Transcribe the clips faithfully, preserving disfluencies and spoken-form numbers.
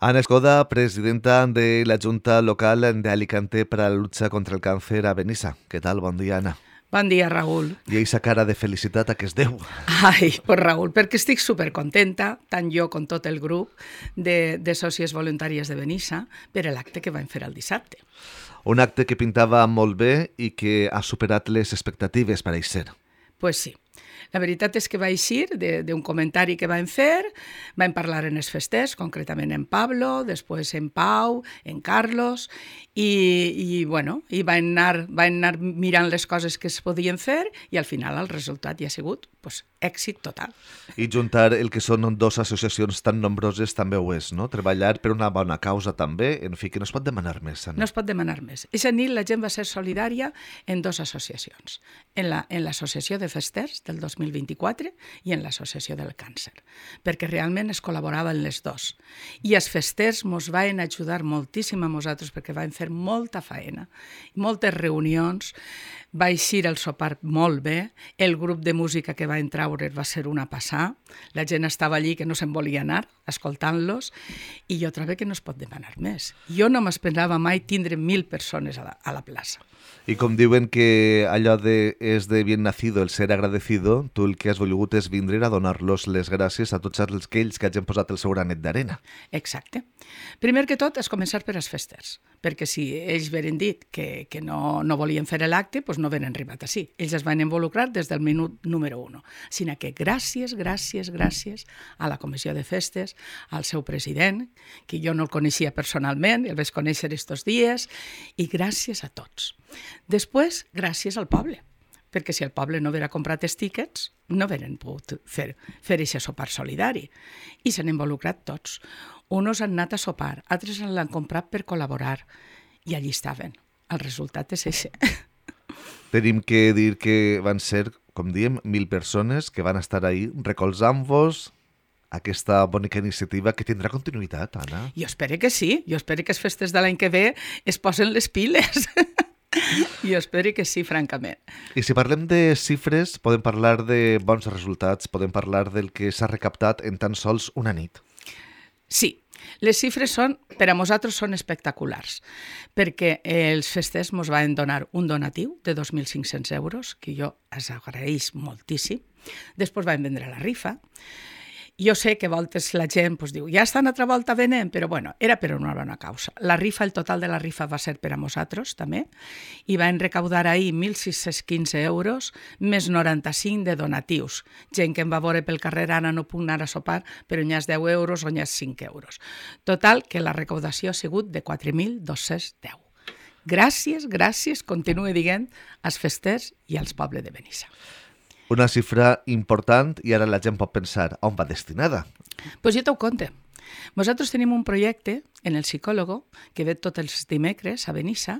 Ana Escoda, presidenta de la Junta Local de Alicante para la lucha contra el cáncer a Benissa. ¿Qué tal? Bon dia, Ana. Bon dia, Raül. I aquesta cara de felicitat a què es deu? Ai, pues Raül, perquè estic supercontenta, tant jo com tot el grup de, de sòcies voluntàries de Benissa, per l'acte que vam fer el dissabte. Un acte que pintava molt bé i que ha superat les expectatives, pareix ser. Pues sí. La veritat és que va eixir d'un comentari que vam fer, vam parlar en els festers, concretament en Pablo, després en Pau, en Carlos, i, i, bueno, i van anar, van anar mirant les coses que es podien fer i al final el resultat ja ha sigut pues, èxit total. I juntar el que són dues associacions tan nombroses també ho és, no? Treballar per una bona causa també, en fi, que no es pot demanar més. Ana. No es pot demanar més. Eixa nit la gent va ser solidària en dues associacions, en la, en l'Associació de Festers del dos mil vint-i-quatre i en l'Associació del Càncer, perquè realment es col·laboraven les dues. I els festers ens van ajudar moltíssim a nosaltres perquè vam fer molta feina, moltes reunions, va eixir el sopar molt bé, el grup de música que va entrar va ser una passar, la gent estava allí que no se'n volia anar, escoltant-los, i jo trobo que no es pot demanar més. Jo no m'esperava mai tindre mil persones a la, a la plaça. I com diuen que allò de és de bien nacido el ser agradecido, tu el que has volgut és vindre a donar-los les gràcies a tots aquells que hagin posat el seu granet d'arena. Exacte. Primer que tot és començar per als festers, perquè si ells veren dit que, que no, no volien fer l'acte, doncs no venen arribat així. Ells es van involucrar des del minut número un. Sinó que gràcies, gràcies, gràcies a la Comissió de Festes, al seu president, que jo no el coneixia personalment, el vaig conèixer estos dies, i gràcies a tots. Després, gràcies al poble, perquè si el poble no haguera comprat els tíquets, no hagueren pogut fer, fer aquest sopar solidari. I s'han involucrat tots. Uns han anat a sopar, altres l'han comprat per col·laborar, i allí estaven. El resultat és això. Tenim que dir que van ser, com diem, mil persones que van estar ahí recolzant-vos aquesta bonica iniciativa que tindrà continuïtat, Anna. Jo espero que sí, jo espero que les festes de l'any que ve es posen les piles. Jo espero que sí, francament. I si parlem de xifres, podem parlar de bons resultats, podem parlar del que s'ha recaptat en tan sols una nit. Sí, les xifres són, per a nosaltres són espectaculars, perquè els festers ens van donar un donatiu de dos mil cinc-cents euros, que jo els agraeix moltíssim. Després van vendre la rifa. Jo sé que a voltes la gent pues, diu ja estan altra volta venent, però bueno, era per una bona causa. La rifa, el total de la rifa va ser per a nosaltres, també, i van recaudar ahir mil sis-cents quinze euros, més noranta-cinc de donatius. Gent que em va veure pel carrer, ara no puc anar a sopar, però n'hi ha deu euros o n'hi ha cinc euros. Total, que la recaudació ha sigut de quatre mil dos-cents deu. Gràcies, gràcies, continue dient, als festers i als pobles de Benissa. Una xifra important i ara la gent pot pensar on va destinada. Doncs pues jo t'ho conte. Nosaltres tenim un projecte en el psicòlogo que ve tots els dimecres a Benissa,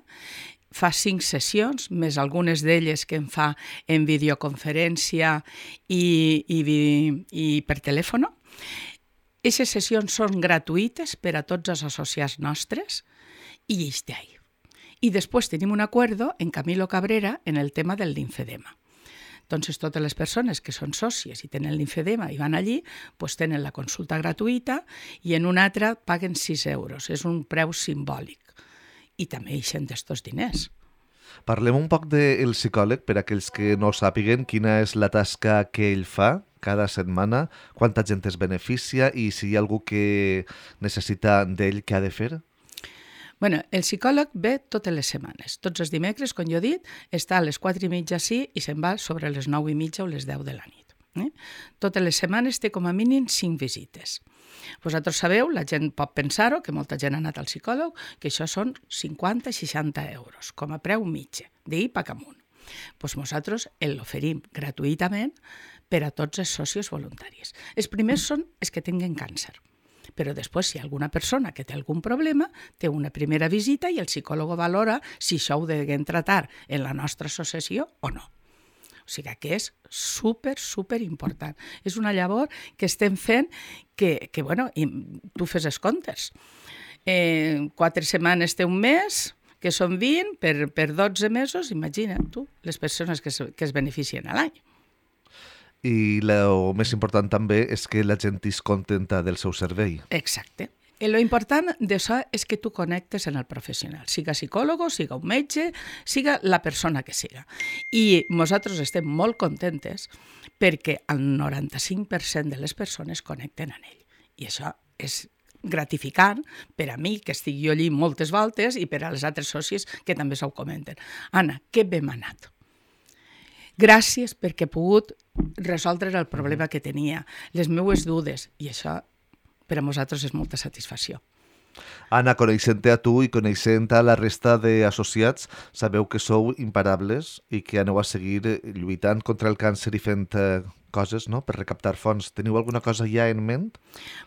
fa cinc sessions, més algunes d'elles que en fa en videoconferència i, i, i per telèfon. Aquestes sessions són gratuïtes per a tots els associats nostres i ells d'ahir. I després tenim un acuerdo en Camilo Cabrera en el tema del linfedema. Entonces, totes les persones que són sòcies i tenen linfedema i van allí, pues tenen la consulta gratuïta i en una altra paguen sis euros. És un preu simbòlic. I també ixen d'estos diners. Parlem un poc del psicòleg, per a aquells que no sàpiguen quina és la tasca que ell fa cada setmana, quanta gent es beneficia i si hi ha algú que necessita d'ell, què ha de fer? Bueno, el psicòleg ve totes les setmanes. Tots els dimecres, com jo he dit, està a les quatre i mitja sí i se'n va sobre les nou i mitja o les deu de la nit. Eh? Totes les setmanes té com a mínim cinc visites. Vosaltres sabeu, la gent pot pensar-ho, que molta gent ha anat al psicòleg, que això són cinquanta a seixanta euros, com a preu mitja, d'ahir pa amunt. Doncs nosaltres l'oferim gratuïtament per a tots els socis voluntaris. Els primers són els que tinguen càncer. Però després, si hi ha alguna persona que té algun problema, té una primera visita i el psicòleg valora si això ho deguem tratar en la nostra associació o no. O sigui que és super, super important. És una llavor que estem fent que, que bueno, i tu fes els comptes. Eh, quatre setmanes té un mes, que són vint, per, per dotze mesos, imagina't tu, les persones que es, que es beneficien a l'any. I el més important també és que la gent és contenta del seu servei. Exacte. Lo important d'això és que tu connectes en el professional, siga psicòleg, siga un metge, siga la persona que siga. I nosaltres estem molt contentes perquè el noranta-cinc per cent de les persones connecten amb ell. I això és gratificant per a mi, que estic jo allí moltes voltes, i per a les altres socis que també s'ho comenten. Anna, que bé m'ha anat. Gràcies perquè he pogut resoldre el problema que tenia, les meues dudes, i això per a nosaltres és molta satisfacció. Anna, coneixent-te a tu i coneixent a la resta d'associats, sabeu que sou imparables i que aneu a seguir lluitant contra el càncer i fent eh, coses, no?, per recaptar fons. Teniu alguna cosa ja en ment?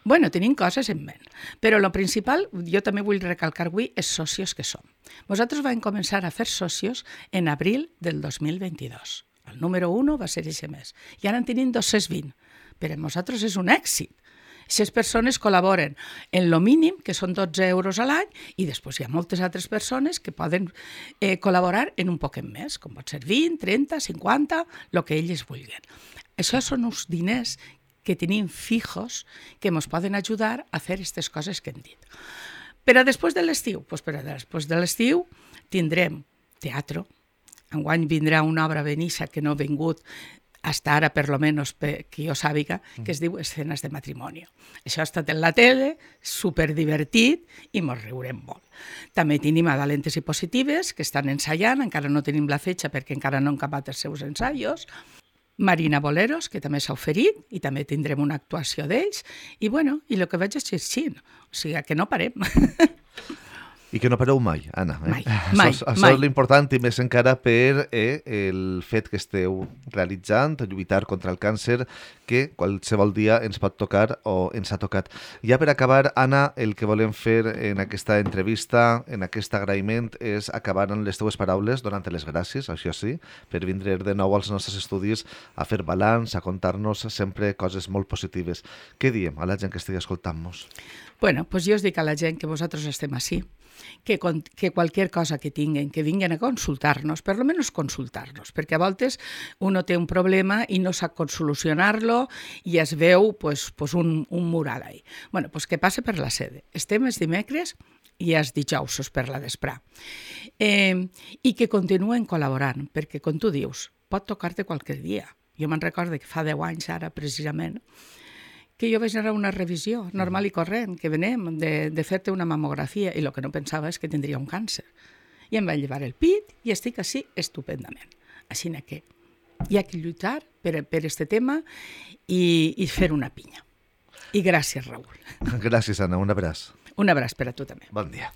Bueno, tenim coses en ment, però el principal, jo també vull recalcar avui, és socios que som. Nosaltres vam començar a fer socios en abril del dos mil vint-i-dos. El número un va ser aquest mes. I ara en tenim dos-cents vint. Per a nosaltres és un èxit. Aquestes persones col·laboren en lo mínim, que són dotze euros a l'any, i després hi ha moltes altres persones que poden eh, col·laborar en un poquet més, com pot ser vint, trenta, cinquanta, el que ells vulguin. Això són uns diners que tenim fijos que ens poden ajudar a fer aquestes coses que hem dit. Per a després de l'estiu? Pues per a després de l'estiu tindrem teatre. Enguany vindrà una obra Benissa que no ha vingut hasta ara, per lo menos, que jo sàpiga, que es diu Escenes de matrimoni. Això ha estat en la tele, superdivertit, i mos riurem molt. També tenim a Valentes i Positives, que estan ensaiant, encara no tenim la fetxa perquè encara no han acabat els seus ensaios. Marina Boleros, que també s'ha oferit, i també tindrem una actuació d'ells. I bueno, i el que veig és xixint, o sigui que no parem. I que no pareu mai, Anna. Eh? Mai, mai, això, això mai. és l'important, i més encara per eh, el fet que esteu realitzant, lluitar contra el càncer, que qualsevol dia ens pot tocar o ens ha tocat. Ja per acabar, Anna, el que volem fer en aquesta entrevista, en aquest agraïment, és acabar amb les teues paraules, donant-te les gràcies, això sí, per vindre de nou als nostres estudis a fer balanç, a contar-nos sempre coses molt positives. Què diem a la gent que estigui escoltant-nos? Bueno, pues jo us dic a la gent que vosaltres estem així, que, que qualsevol cosa que tinguen, que vinguin a consultar-nos, per lo menos consultar-nos, perquè a voltes uno té un problema i no sap com solucionar-lo i es veu pues, pues un, un mural ahí. Bueno, pues que passe per la sede. Estem els dimecres i els dijous per la vesprà. Eh, I que continuen col·laborant, perquè, com tu dius, pot tocar-te qualsevol dia. Jo me'n recordo que fa deu anys ara, precisament, que jo vaig anar a una revisió normal i corrent, que venem de, de fer-te una mamografia, i el que no pensava és que tindria un càncer. I em va llevar el pit i estic així estupendament. Així que hi ha que lluitar per, per este tema i, i fer una pinya. I gràcies, Raül. Gràcies, Anna. Un abraç. Un abraç per a tu també. Bon dia.